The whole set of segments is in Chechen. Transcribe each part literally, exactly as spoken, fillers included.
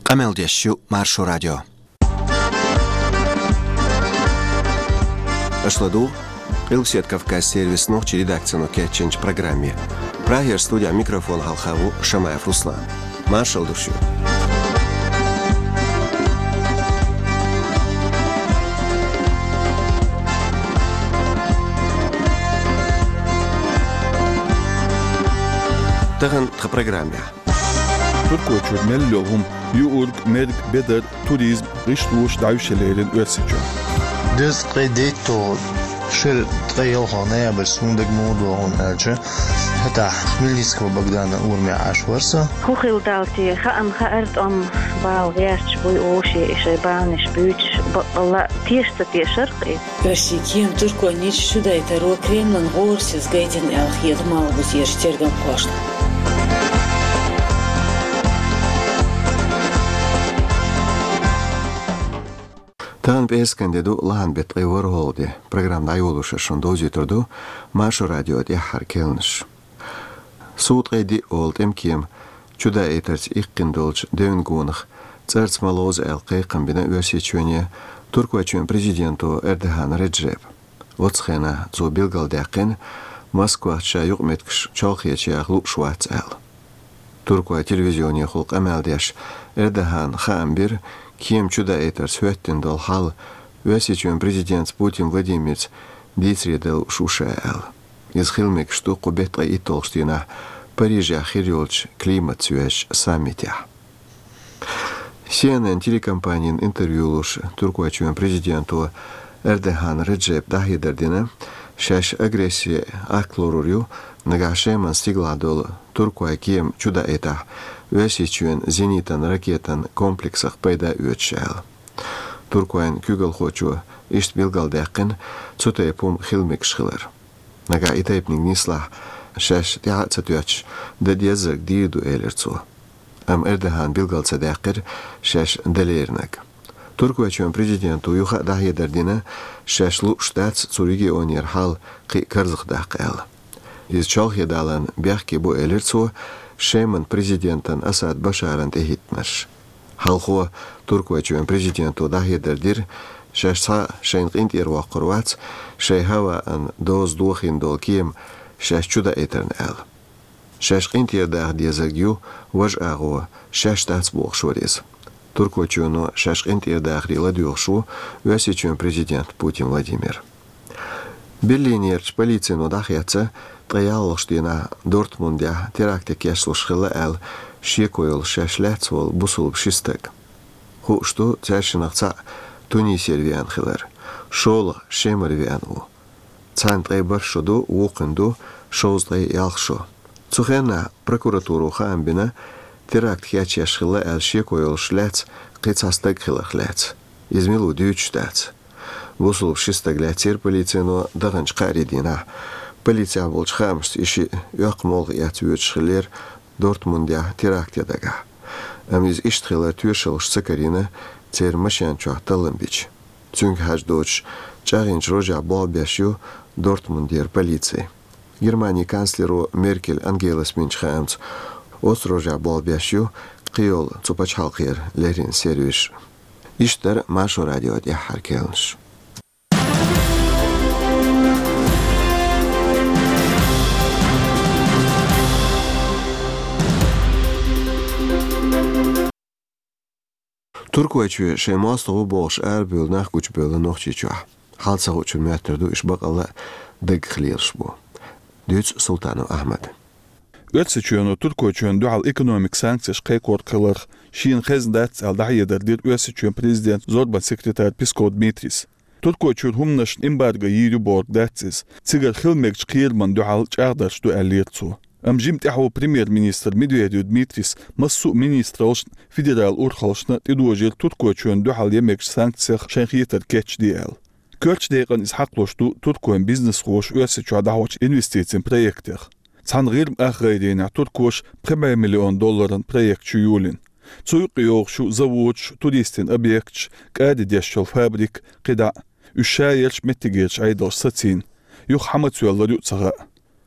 Къамел деш ю Маршо радио. Аша ладугӀу Къилбаседа Кавказ сервисан нохчийн редакцино кечйинчу программе. Прагера студехь микрофон хьалха ву Шамаев Руслан. Маршалла ду шуьга. Тахана тхан программехь. Туркойчуьра мел йолу хӀума: юург, мерг, бедар, туризм, гӀишлош дӀаюьйш лерина Оьрсийчохь. Дезткъе дейтта шира ткъе ялхалгӀа ноябрьс хӀунда дага муха догӀу аьлча, хӀетахь Хмельницкого Богдана урамехь Ӏаш вара со. ХӀун хилла дала те, хаам хаар, тӀом бала гӀерташ буй оша и шайн баланаш буьйцуш, баккъалла а теша ца тешара-кх иза. Оьрсийн кема туркойн ницкъ чудайтаро Кремлан гӀорасиза гайтина аьлла хета Малхбузерчу тергамхошна. Тахана пӀераскан де ду, лахьан беттан ткъе ворхӀалгӀа де. Программа дӀайолош шуна довзуьйтур ду Маршо радион тӀаьххьара керланаш. Сув ткъе диъ олу тӀеман кема чудаийтарца иккхина долчу девнан гонах цӀарца ма ловза аьлла кхайкхам бина Оьрсийчоьне Туркойчоьнан президенто Эрдоган Реджепа. Оцу хенахь цо билгалдаьккхина, Москвахь ша юкъаметтигаш чолхечу яха лууш вац аьлла. Туркойн телевизионехула къамел деш, Эрдогана хаам бира, кема чудаийтарца хӀоьттина долу хьал Оьрсийчоьнан президентца Путин Владимирца дийцаре дан лууш ву ша аьлла. Иза хила мегаш ду кху беттан ткъе итталгӀачу дийнахь Парижехь хир йолчу климатца йоьзначу саммитехь. Си Эн Эн телекомпанина интервью луш, Туркойчоьнан президенто Эрдоган Реджепа дӀахьедар дина, шаьш агрессин акт лорур ю, нагахь Шеман стигалахь долу туркойн кема чудаийтахь, Оьрсийчоьнан зенитан ракетан комплексах пайда оьцуш аьлла. Туркойн куьйгалхочо иштта билгалдаьккхина цу тайпа хӀума хила мегаш хилар. Нагахь и тайпаниг нислахь, шаьш тӀаьхьа а ца тоьттуш, дан деззарг дийр ду, элира цо. Амма Эрдогана билгал ца даьккхира шаьш дан леринарг. Туркойчоьнан президенто юха а дӀахьедар дина, шаьш лууш дац цу регионера хьал кхин а карзахдаккха аьлла. Иза чолхе даларна бехке бу, элира цо, Шеман президентан Асад Башаран тӀехӀиттинарш. Хьалхо Туркойчоьнан президенто дӀахьедар дира, шаьш цхьа а шайна къинтӀера воккхур вац, шайн хӀаваан доза дохийна долу кема шаьш чудаийтарна аьлла. Шаьш къинтӀера даха дезарг ю важа агӀо, шаьш дац бохуш вара иза. Туркойчоьно шаьш къинтӀера дахаре ладоьгӀуш ву Оьрсийчоьнан президент Путин Владимир. Берлинерчу полицино дӀахецна, ткъе ялхалгӀачу дийнахь Дортмундехь теракте кечлуш хилла аьлла шеко йолуш шаьш лаьцна волу бусулба ши стаг. Хууш ду, цаьршиннах цхьаъ Тунисера веана хилар, шолгӀа Шемара веана ву. Царна ткъе бархӀ шо ду, вукхунна ду шовзткъе ялх шо. Цу хенахь прокуратуро хаам бина, теракт кечъеш хилла аьлла шеко йолуш лаьцна кхин цхьа стаг хиларх лаьцна. Иза мила ву дуьйцуш дац. Бусулба ши стаг лаьцнера полицино даханчу кхаарин дийнахь. Полицехь болчу хаамашца, и шиъ оьккху молха эцна воьдуш хиллера Дортмундехь теракт ян дагахь. Амма иза иштта хилар тоьшаллаш ца карийна, церан машен чохь таллам бича. Цуьнга хьажа доцуш, чӀагӀйинчу рожехь болх беш ю Дортмундера полици. Германин канцлеро Меркель Ангелас бинчу хаамца, оцу рожехь болх беш ю кхийолу цу пачхьалкхера леррина сервисаш. Иштта дара Маршо радион тӀаьххьара керланаш. Туркойчоь шайн мостагӀа ву бохуш арабевлла нах гучубевлла Нохчийчохь. Хьал ца хуучун моьттур ду, уьш баккъалла а даггах лелаш бу. Дуьйцу Султанов Ахьмада. Оьрсийчоьно Туркойчоьнна дуьхьал экономикан санкцеш кхайкхорах хиларх шена хезна дац аьлла, дӀахьедар дира Оьрсийчоьнан президентан зорбанан секретара Песков Дмитрийс. Туркойчуьра хӀуманашна эмбарго йийр ю бохург дац иза. Цигара хила мегачу кхерамна дуьхьал чӀагӀдарш ду, аьллера цо. Амма жимма тӀаьхьо премьер-министр Медведев Дмитрийс массо а министраллашна, федералан урхаллашна тӀедожийра Туркойчоьнна дуьхьал ян мегачу санкцех шайн хетарг кечде аьлла. Коьртачу декъана иза хьакхалуш ду туркойн бизнесхоша Оьрсийчохь дӀахьочу инвестицийн проектех. Цхьана ГӀирма ах гӀайренехь туркоша пхи бӀе миллион долларан проект чу йолийна. Цу юкъа йогӀуш ю заводаш, туристийн объекташ, кӀади деш йолу фабрика, кхидӀа а. Уьш шаерчу, меттигерчу Ӏедалша сацийна. Юха хьан мацвеллар ю а ца хаьа.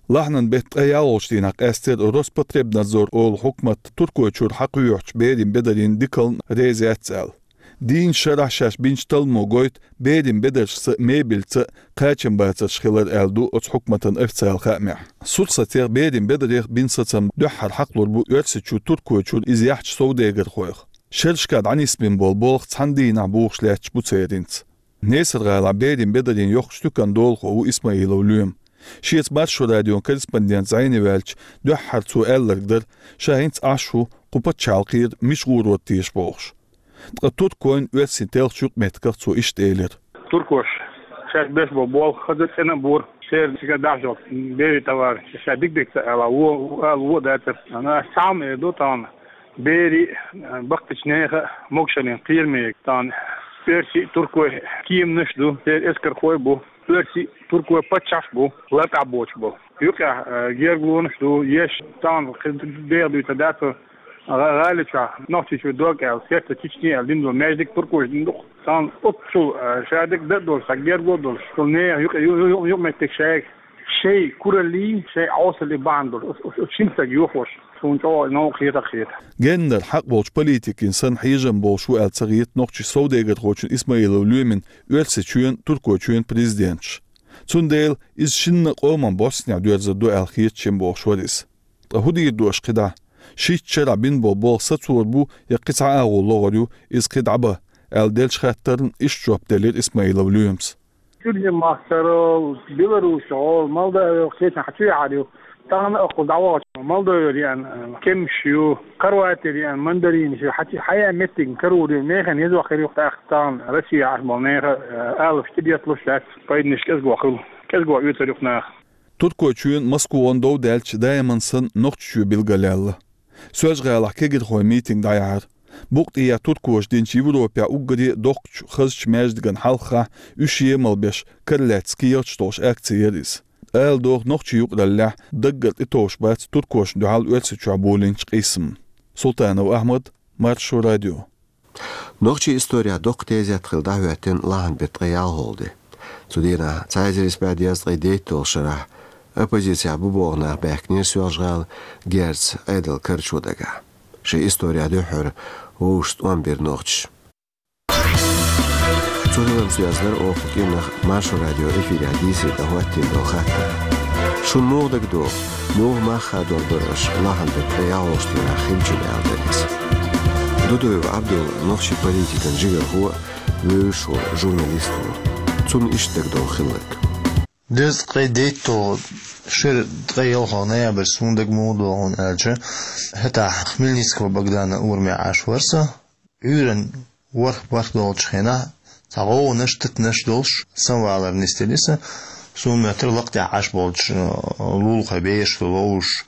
Лахьанан бетта ткъе ялхолгӀачу дийнахь къаьстира Роспотребнадзор олу хьукмат Туркойчуьра хьакхоьхьучу берийн бедарийн дикална реза яц аьлла. Дийнна шарахь шаьш бинчу талламо гойту берийн бедаршца, мебельца кхачам бацарш хилар аьлла ду оцу хьукматан официалан хаамехь. Сурсатех, берийн бедарех бина сацам дуьххьара хьакхалур бу Оьрсийчу Туркойчуьра иза яхьчу совдегархойх. Шерашкахь дӀанисбина болу болх цхьана дийнахь бухуш лаьтташ бу церан. Несар-гӀалахь берийн бедарийн йоккхачу туьканан долахо ву Исмаилов Лоьма. Шеца Маршо радион корреспондент зӀене ваьлча, дуьххьара цо аьлларг дара, ша хӀинца Ӏаш ву, кху пачхьалкхера мича гӀур вара теша бохуш. Ткъа туркойн, оьрсийн телхачу юкъаметтигах цо иштта элира: «Туркоша шаьш беш болу болх хаза цӀена а бора, церан цига дахьаш йолу берийн товар ша дика-дика ца ала, вон ала вон а дацара. Ана ас цхьа а ма эр ду тахана, берийн а, баккхийчу нехан а могушаллин кхераме тахана оьрсийн а, туркойн а кеманаш а ду, церан эскархой а бу, оьрсийн а, туркойн а паччахьаш а бу, лартӀехь боцуш болу. Юкъехь, а, гергалонаш а ду, еш тахана кхин деха дуьйцур дац, гӀа-, гӀали чохь, Нохчийчуьра дог аьлла, Сердце Чечни аьлла дина долу маьждиг туркоша дина ду-кх. Тахана оццул, а, шадерг дан а долуш, цхьа гергало а долуш, цу нехан юкъа-, ю-, ю-, ю-, юкъаметтиг шайга, шайн кураллий, шайн Ӏовсаллий бахьана долуш, оцу, оцу, оцу шинцаьрга йохош, суна чӀогӀа новкъа хета а хета». Геннара хьакъ болчу политикийн санна хьежам болуш ву аьлла ца хета нохчийн совдегархочун Исмаилов Лоьмин Оьрсийчоьнан, Туркойчоьнан президенташ. Цундела иза шинна а къоман боссанехь доьрзур ду аьлла хета шен бохуш вара иза. Ткъа хӀун дийр ду аша кхидӀа? Шийтта шарахь бина болу болх сацор бу я кхин цхьа агӀо логӀур ю, иза кхин дӀабан, аьлла деллачу хаттарна иштта жоп делира Исмаилов Лоьмас. Кюржин-махкара, Беларусьгара, Молдовера, кхечахьа чу яхьар ю. Тахана а кхуза дӀавахча, Молдовера еана кеманаш ю, Хорватера еана мандаринаш ю, хьан чу хьаян меттиг карор ю, нехан еза вахар ю тӀаккха тахана Россия Ӏаш болу нехан, э, алапаш тӀедетталуш дац, пайданаш кӀезго хуьлу, кӀезго оьцур ю наха. Туркойчоьнан, Москван дов даьлча, даиман санна Нохчийчоь билгалъяьлла. Соьлжа-ГӀалахь кегирхойн митинг дӀаяьхьира. Букъ тӀе я туркоша динчу Европехь уггаре а доккхачу хазачу маьждигана хьалххахь уьш емал беш, кара лаьцна кехаташ долуш акци яра иза. Ала догӀу, нохчийн юкъараллехь даггара тӀетовш бац туркошна дуьхьал Оьрсийчохь болийначу къийсамна. Султанов Ахьмад, Маршо радио. Нохчийн исторехь доккха тезет хилла дӀахӀоьттина лахьанан беттан ткъе ялхолгӀа де. Цу дийнахь, цхьа эзар исс бӀе дезткъе дейтталгӀачу шарахь, оппозицехь бу богӀу нах баьхкинера Соьлжа-ГӀала, герз Ӏедал карчо дагахь. Шайн исторехь дуьххьара вовшашца тӀом бира нохчаша. Цу хиларца доьзна дара оха кху кӀиранах Маршо радион эфирехь дийцаре дӀахӀоттийна долу хаттар. Шуна муха дагадогӀу, муха мах хадор бара аша лахьанан беттан ткъе ялхолгӀачу дийнахь хиллачун, аьлла дара иза. Дудуев Ӏабдулла нохчийн политикан жигархо а, вевзаш волу журналист а ву. Цунна иштта дагадогӀу хилларг. Дезткъе дейтталгӀа шеран ткъе ялхолгӀа ноябрь суна дага муха догӀу аьлча, хӀетахь Хмельницкого Богдана ураме Ӏаш вара со. Ӏуьйранна ворхӀ-бархӀ долчу хенахь цхьа гӀовгӀанаш, титанаш долуш, самвалар нисделира сан. Суна моьттура лакха тӀехь Ӏаш болчу, э, лулахойн бераш ду ловзуш.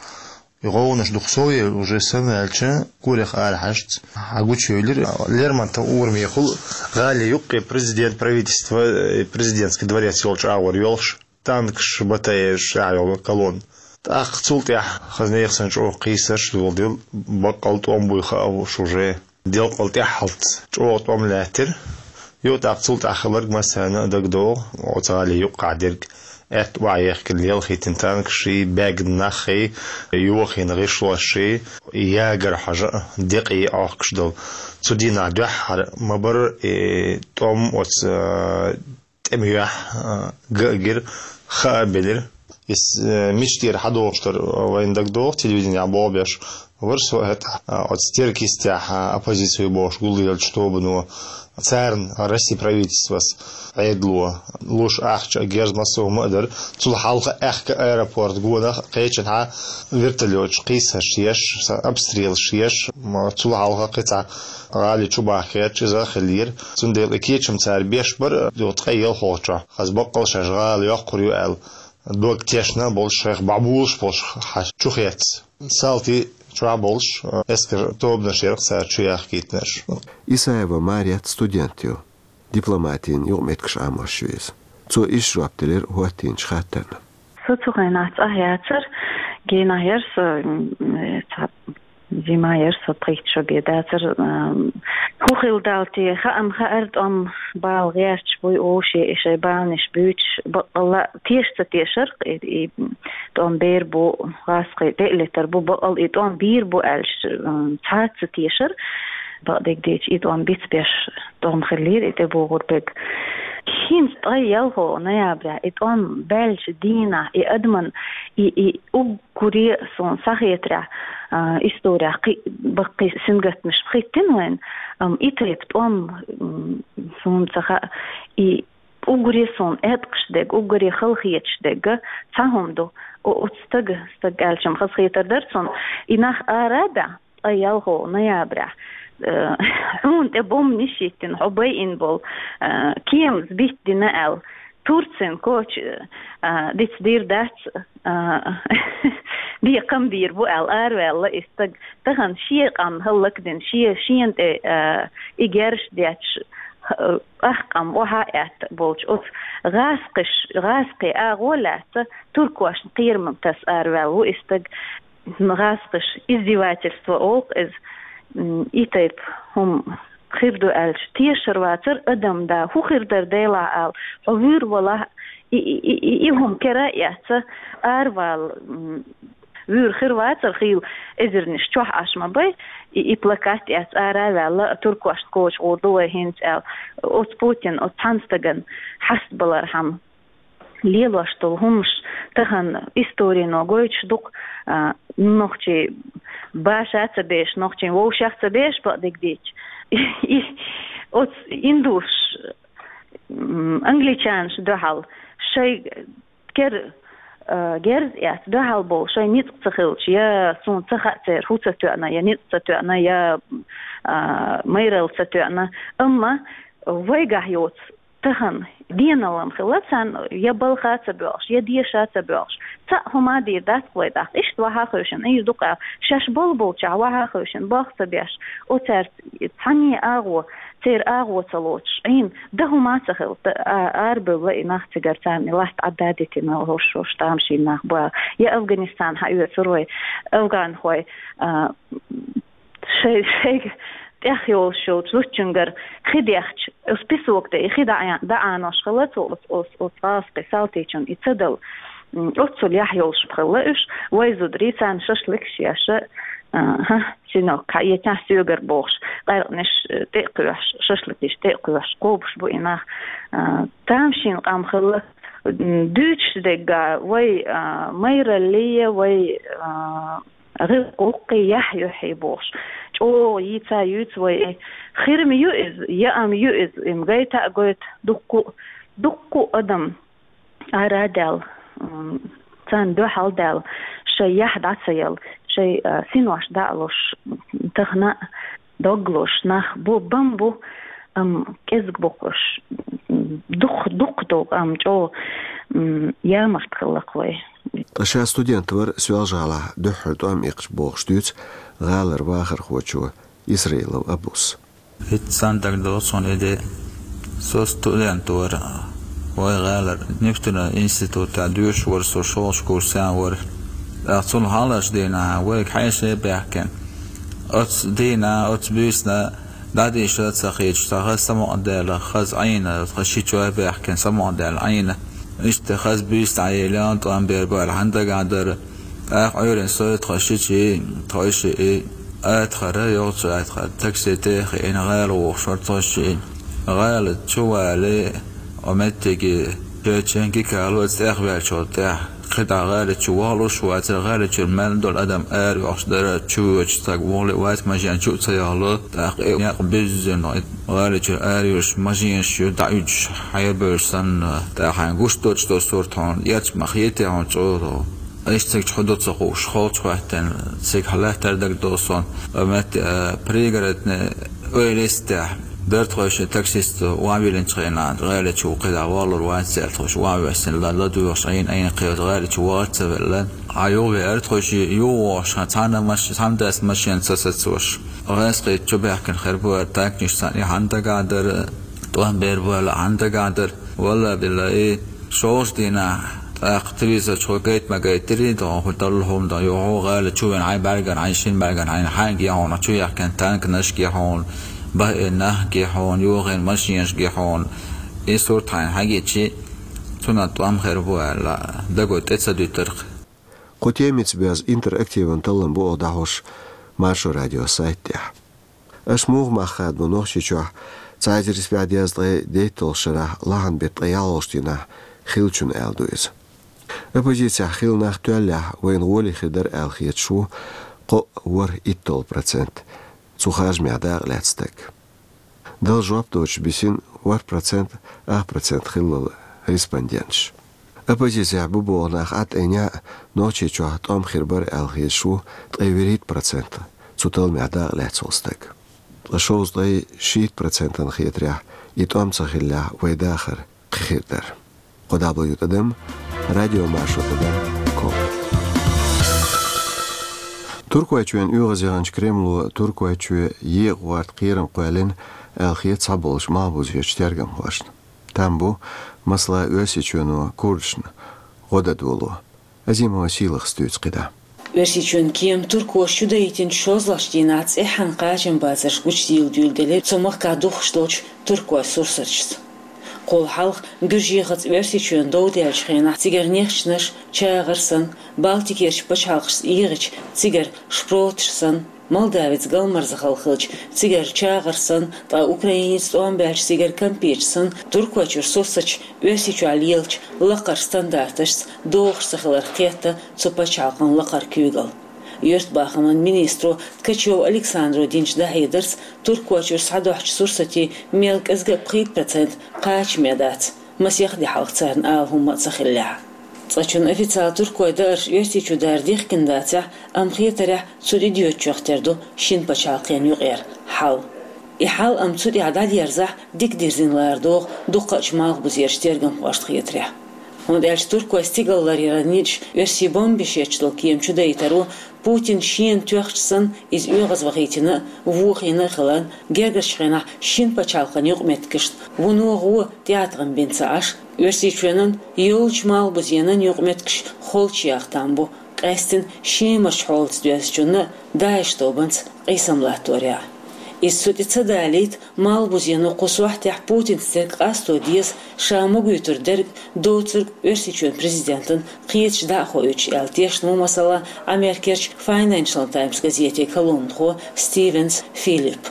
И гӀовгӀанаш дукха сов елла уже сан ваьлча, корах арахьаьжча, хьагучуевлира. Лермонтов урамехула гӀали юккъе президент, правительство, э, президентский дворец йолчу агӀор йолуш, танкаш, БТР-ш, а йолу колонна. ТӀаккха цул тӀаьхьа хаза нехан санна чӀогӀа кхийсарш а доладелла, баккъал тӀом буй хаа уьш уже. Делкъал тӀаьххьалц чӀогӀа тӀом лаьттира. Юха тӀаккха цул тӀаьхьа хилларг массарна а дагадогӀу, оцу гӀали юккъехь дерг. Аьтта охьаехкина, лелхийтина танкашший, баьгна наххий, йохийна гӀишлошший, ягар хьожа а, декъий Ӏохкуш долу. Цу дийнахь дуьххьара ма бара и тӀом оцу, а, тӀеман юьхь, а, ган а гира, хаа а белира. Иза, э, мича тӀера хьадогӀуш дара, э, вайна дагадогӀу, телевиденехь болх беш вара со хӀетахь, э, оцу стиркистехь, э, оппозици бохуш гулделлачу тобано, царна Россин правительствос Ӏедало луш ахча а, герз массо а хӀума а дара. Цул хьалха аьхка аэропорт гонах кхечанхьа вертолёташ кхийсарш еш, са-, обстрелаш еш, м, цул хьалха кхин цхьа гӀали чу бахкаьчча иза а хиллера. Цундела и кечам цара беш бара, ю ткъе ялхолгӀачохь. Хаза баккъал шаьш гӀала йоккхур ю аьлла, дог тешна а болуш, шайх бӀобулуш болуш хьа чу хецна. Салтий чохь болуш, эскар тобанаш яра-кх цара чу яхкийтинарш. Исаева Марет студент ю, дипломатин юкъаметтигаш Ӏамош ю иза. Цо иштта жоп делира хӀоттийначу хаттарна. Со цу хенахь цӀахь яцара, генахь яра со, м, цхьа Зима яр со пхийтта шо бен дацар. ХӀу хилла далла те, хаам хаьар, тӀом бала гӀерташ буй уж, и шоай баланаш буьйцуш, баккъалла а теша ца тешар, и, и тӀом бер бу, гӀазкхий тӀе а летар бу, баккъалла и тӀом бийр бу аьлча, цхьа а ца тешар. Бакъдерг дийцача, и тӀом бицбеш тӀом хиллера и тӀебогӀург. ХӀинца ткъе ялхлагӀа ноября и тӀом баьлча дийнахь и адаман, и, и уг- гуре суна схьахетарехь, исторехь кхин а баккхий сингаттамаш пхийттина вайна, амма и тайпа тӀом суна ца хаьа. И уггаре суна эткъаш дерг, уггаре халахеташ дерг цхьа хӀума ду. Оцу стага, стаг аьлча-м хазахетар дара цунна, и нах ара а баьхна, ткъе ялхлагӀа ноябрехь, хьуна тӀе бомбанаш йиттина, хьо байина болу кеманаш биттина аьлла, Турцин коча дицдийр дац, бекхам бийр бу аьлла, араваьлла и стаг. Тахана шен къам хӀаллакдина, шен, шена тӀе и герзаш детташ, ах къам охьа а аьтта болчу оцу гӀазкхаш, гӀазкхий агӀо лаьцна туркошна кхерам таса араваьлла ву и стаг. ГӀазкхаша издевательство олу иза, и тайпа хӀума хир ду аьлча, тешар вацара адам да, хӀун хир дара делахь ала, хьо вуьйр валахь, и, и, и, и, и хӀума кара а эцца, аравала вуьйр хир вацара, хийла эзарнаш чохь Ӏаш ма бай, и, и плакат эцца ара а ваьлла, туркошна коча гӀур ду вай хӀинца аьлла, оцу Путин, оцу цхьана стагана хьастабалархьама. Лелош долу хӀуманаш тахана историно гойтуш ду-кх, нохчий баша а ца беш, нохчийн вовшах а ца беш, бакъдерг дийцча. И оцу индусаш, англичанаш дуьхьал шайн кер-, герз эцца дуьхьал болу шайн ницкъ ца хилча, я суна ца хаьа церан хӀун ца тоьъна, я ницкъ ца тоьъна, я майралла ца тоьъна. Амма вайгахь йоцу тахана деналла хилла царна, я балха ца боьлхуш, я деша ца боьлхуш. Цхьаъ хӀума дийр дац-кх вай тӀаккха. Иштта ваха а хевшина, иш ду-кх аьлла, шаьш болу болчохь ваха а хевшина, болх ца беш, оцаьрца цхьанне а агӀо, церан агӀо ца лоцуш, Ӏийна, дан хӀума а ца хилла, а-, арабевлла и нах цигара, царна и латта Ӏадда а дитина, хӀорш-хӀорш тамашийна нах бу аьлла. Я Афганистан хьаоьцур вай, афганхой, а, шай-, шайга тӀех йолуш йолчу зудчуьнгара хи дехча, оцу песок тӀе и хи даӀа-, даӀанош хилла цо оцу, оцу, оцу гӀазкхийн салтичунна и ца дала. Оццул яхь йолуш хилла уьш, вай зударий, царна шашлыкаш еш, а, хӀа, синок, хьаэцахь соьгара бохуш, къаьркъанаш тӀе а кхоьхьуш, шашлыкаш тӀе а кхоьхьуш, кхобуш бу и нах. А, тамашийна къам хилла, дуьйцуш дерг а, вай, а, майраллий, вай, а, гӀиллакх-гӀуллакхий яхь юьхьий бохуш, чӀогӀа йийца а юьйцу вай и. Хир-м ю иза, яа-м ю иза, и-м гайта а гойту дуккха а, дуккха а адам ара а даьлла, м, царна дуьхьал а даьлла, шайн яхь дӀа ца елла, шайн, а, синош дӀа а луш, тахана а дог луш нах бу, бан бу, амма кӀезиг бу-кх уьш. Дукха, дукха долу, амма чӀогӀа, м, ямарта хилла-кх вай. Ткъа ша студент вара Соьлжа-ГӀалахь дуьххьара тӀом иккхича бохуш дуьйцу гӀалара вахархочо Исраилов Абус. ХӀинца санна дагадогӀу суна и де. Со студент вара, вай гӀалара нефтяной институтехь доьшуш вара со, шолгӀачу курсе вара. ТӀаккха цул хьалхарчу дийнахь вайга хьеший баьхкина. Оцу дийнахь, оцу буьйсанна дӀадийша а ца хеташ, цхьа хаза самукъадаьлла, хаза Ӏийна, тхан шичой баьхкина, самукъадаьлла Ӏийна. Иштта хаза буьйса дӀаелла, тӀом бер бу аьлла хьан дагахь дара. ТӀаккха Ӏуьйранна со, тхан шичий, тхойшиъ и, Атхара, йогӀучу Атхара такси тӀе а хиъна, гӀала вохуш вара тхойшиъ. ГӀала чу валий, оцу меттиге, чечен гикало оцу тӀехваьллачул тӀаьхьа. КхидӀа гӀала чу вахлуш вацара, гӀала чуьра мел долу адам ара йохуш дара, чу воьдуш стаг вуьгӀур вац, машен чу а ца яхало, тӀаккха и некъ буьззина, гӀала чуьра ара йолуш машенаш ю дӀауьдуш, хьайбевлла санна, тӀаккха хьайна гуш доцуш долу сурт хьуна, эцча ма хетий хьуна чӀогӀа. Иштта цига чу хӀун ду ца хууш, холчу хӀоьттина, цига хьалаьттара дагадогӀу суна, оцу метте, а, Пригородный, ойла йистехь, дара тхойшиъ, таксисто охьавиллинчу хенахь, гӀала чу кхидӀа валур вац аьлла, тхойшиъ охьавоьссина, ла-, ладоьгӀуш Ӏийна, Ӏийна кхета, гӀала чу вахар ца велла. Хьан юхавеара тхойшиъ, юхавогӀуш, хьан цхьана маш-, цхьана дас машен ца сацош. ГӀазкхий чу баьхкина хир бу аьлла, танкаш санна, и хьан дагахь дара, тӀом бер бу аьлла, хьан дагахь дара. Валла биллахӀи, шолгӀачу дийнахь ТӀаккха телевизор чу гайта ма гайтарий, догӀун хӀу далла хӀума догӀун, юхьу гӀала чу вен хьайн бӀарган, хьайн шин бӀарган, хьайн хьаьнга яхьуна, чу яхкан танкнашка яхьуна, бахӀиннахка яхьуна, юххен машинашка яхьуна. И сурт хьайна хьагичи, цунна тӀом хир бу аьлла, дагой тӀе ца дуьтарх. Кху темица бяза интерактиван таллам бу оха дӀахьош Маршо радио сайт тӀехь. Аша муха мах хадабу Нохчийчохь цхьа эзар исс бӀе дезткъе дейтталгӀа шарахь лахьан бетта ткъе ялхалгӀачу дийнахь хиллачун аьлла ду иза. Оппозицехь хилла нах тоьллехь, вайна гӀоле хир дара аьлла хеташ ву кхоъ ворхӀ итталгӀа процент цу харжамехь дакъа лаьцна стаг. Дала жоп доцуш бисина ворхӀ процент, ах процент хиллал респонденташ. Оппозицехь бу боху нах Ӏад айнехь а, Нохчийчохь тӀом хир бара аьлла хеташ ву ткъе вуьрхӀитта процент цу талламехь дакъа лаьцна волу стаг. Ткъа шовзткъе шийтта процентана хетарехь, и тӀом ца хиллехь, вай дахар кхин хир дара. Кхо дабла ю тӀадам, радио Маршо тӀадам ком. Туркойчоьнан оьгӀазъяханчу Кремло Туркойчоь екъа гӀорта кхерам кхоьллина аьлла хета цхьаболчу малхбузерчу тергамхошна. Там бу, масала, Оьрсийчоьно курдашна гӀо дан доло. Азимова Сийлахас дуьйцу кхидӀа. Оьрсийчоьнан кема туркоша чудаийтинчу шозлагӀчу дийнахь цӀеххьана кхачамбацарш гучудийла дуьйладелира цу махкахь духкуш долчу туркойн сурсаташца. Кхул хьалха Гуьржехаца Оьрсийчоьнан дов даьллачу хенахь цигара нехчанаш, чагӀар санна, Балтикерчу пачхьалкхашца эгӀича, цигара шпроташ санна, Молдавица галмарза хала хилча, цигара чагӀар санна, ткъа Украиница тӀом баьлча, цигара кампеташ санна, Туркойчуьра сурсаташ Оьрсийчохь лелачу лакхарчу стандарташца догӀуш ца хиларх кхетта цу пачхьалкхан лакхара куьйгалла. Юьртабахаман министро Ткачев Александро динчу дӀахьедарца, Туркойчуьра схьадохьучу сурсатийн мел кӀезга а пхийтта процент кхачаме дац, масех де хьалха царна ала хӀумма а ца хиллехь. Цкъачунна официалан туркойн даарш Оьрсийчу дара дихкина дацахь, амма хетарехь, цу тӀедоьдучех тера ду шина пачхьалкхана юкъара хьал. И хьал амма цу тӀехь дӀадерзахь, дика дирзина лара догӀу дуккхачу малхбузерчу тергамхошна хетарехь. ХӀунда аьлча туркойн стигалларъяран ницкъаша оьрсийн бомбеш етташ долу кема чудаийтаро Путина шена тоьхча санна, иза оьгӀазвахийтина а, вохийна а хиларна, гергарчу хенахь шина пачхьалкхан юкъаметтигашна вуно гӀо, тӀеӀаткъам бина ца Ӏаш, Оьрсийчоьнан, йоллучу малхбузенан юкъаметтигаш холчу яха там бу, къаьсттина Шемарчу хьолаца доьзначунна а, ДАИШ тобанца къийсам латторехь. Иза цу тӀе ца далийта, малхбузено кху сохьтехь Путинца дерг къасто деза, ша магуьйтур дерг доцург Оьрсийчоьнан президентана кхеташ дӀа а хоуьйтуш аьлла тешна ву, масала, Америкерчу Financial Times газетан колумнахо Стивенс Филипп.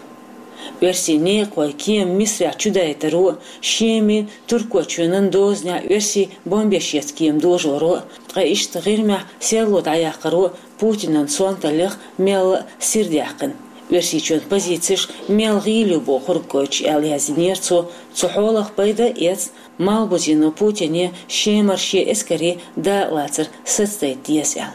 Оьрсийн некъахойн кема Мисрахь чудайтаро а, Шемин, Туркойчоьнан дозанехь оьрсийн бомбеш етта кема дожоро а, ткъа иштта ГӀирмехь серло дӀаяккхаро а Путинан сонталлех мелла а сирдаьккхина, Оьрсийчоьнан позицеш мел гӀийла ю бохург гойтуш аьлла яздинера цо, цу хьолах пайда а эцна, малхбузено Путине Шемара шен эскарийн дакъалацар сацадайта деза аьлла.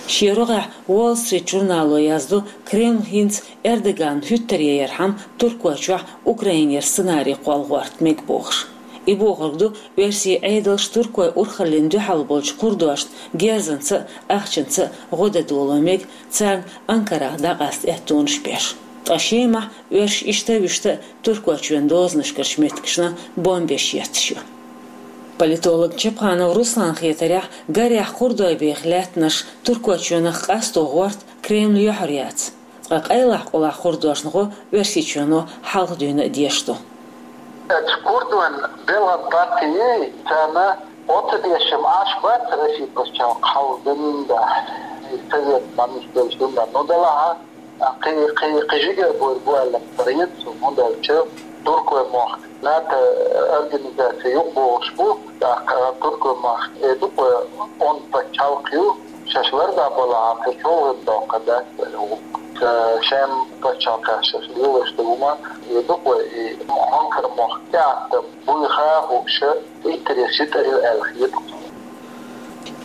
Шен рогӀехь Wall Street журнало яздо, Кремль хӀинца Эрдоганна хӀуьттаре ярхьама Туркойчохь Украинера сценарий кхолла гӀорта мега бохуш. И бохург ду, оьрсийн Ӏедалш туркойн урхаллина дуьхьал болчу курдошна герзанца а, ахчанца а гӀо дан доло мега, царна Анкарах дӀакъаста аьттонаш беш. Ткъа Шемахь оьрсаш иштта а вуьшта а Туркойчоьнан дозанашкарчу меттигашна бомбеш етташ ю. Политолог Чапханов Русланна хетарехь, гарехь курдойн беха лаьттанаш Туркойчоьнах къасто гӀорта Кремль юьхьар яц. Ткъа къайлахь-къулахь курдошна гӀо Оьрсийчоьно хьалха дуьйна а деш ду. Оцу курдойн белхан партий царна оцу дешам Ӏаш бац Россия пачхьалкх хьалха дуьйна да, и совет мамиш делаш дуьйна да. Ну, делахь а, кхи, кхи, кхи жигара буйр бу аьлла ца хета суна, хӀунда аьлча туркойн мохк НАТО организаци юкъабогӀуш бу, тӀаккха туркойн мохк э ду-кх вай онда пачхьалкх ю, шаьш ларда балахь, кхин чӀогӀа доккха дац аьлла ву. Ца шен пачхьалкхехь шаьш лелош ду хӀума, э ду-кх вай и Анкара мохк тӀеӀаткъам буйха а хууш, иттареш йитӀар ю аьлла хета.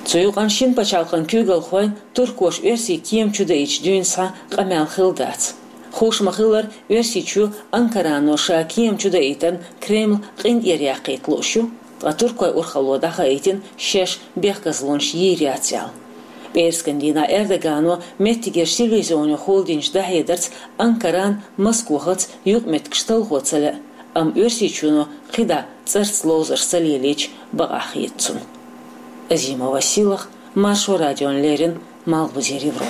Цу юкъанна шина пачхьалкхан куьйгалхойн туркоша оьрсийн кема чудаийтачу дуьйна схьа къамел хилла дац. Хууш ма-хиллара, Оьрсийчоь Анкарано ша кема чудаийтарна Кремль къинтӀера яккхийта лууш ю, ткъа туркойн урхалло дӀахаийтина шаьш бехказлонаш йийр яц аьлла. ПӀераскан дийнахь Эрдогано меттигерчу телевизионехула динчу дӀахьедарца Анкаран Москвахаца юкъаметтигаш талхо ца лаьа, амма Оьрсийчоьно кхидӀа цӀарца ловзарш ца лелийча бакъахь хета цунна. Азимова Силах, Маршо радиона леррина, Малхбузера Европа.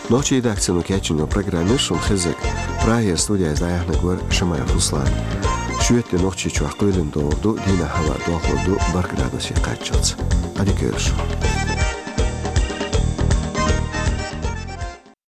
Нохчийн редакцино кечйина программе шуна хеззарг. Прагера студида дӀаяьхьнарг вар Шамаев Руслан. Шоьтан де Нохчийчохь кхоьлина догӀур ду, дийнахь хӀаваъ дохлур ду бархӀ градусе кхаччалц. Ӏадика йойла шун.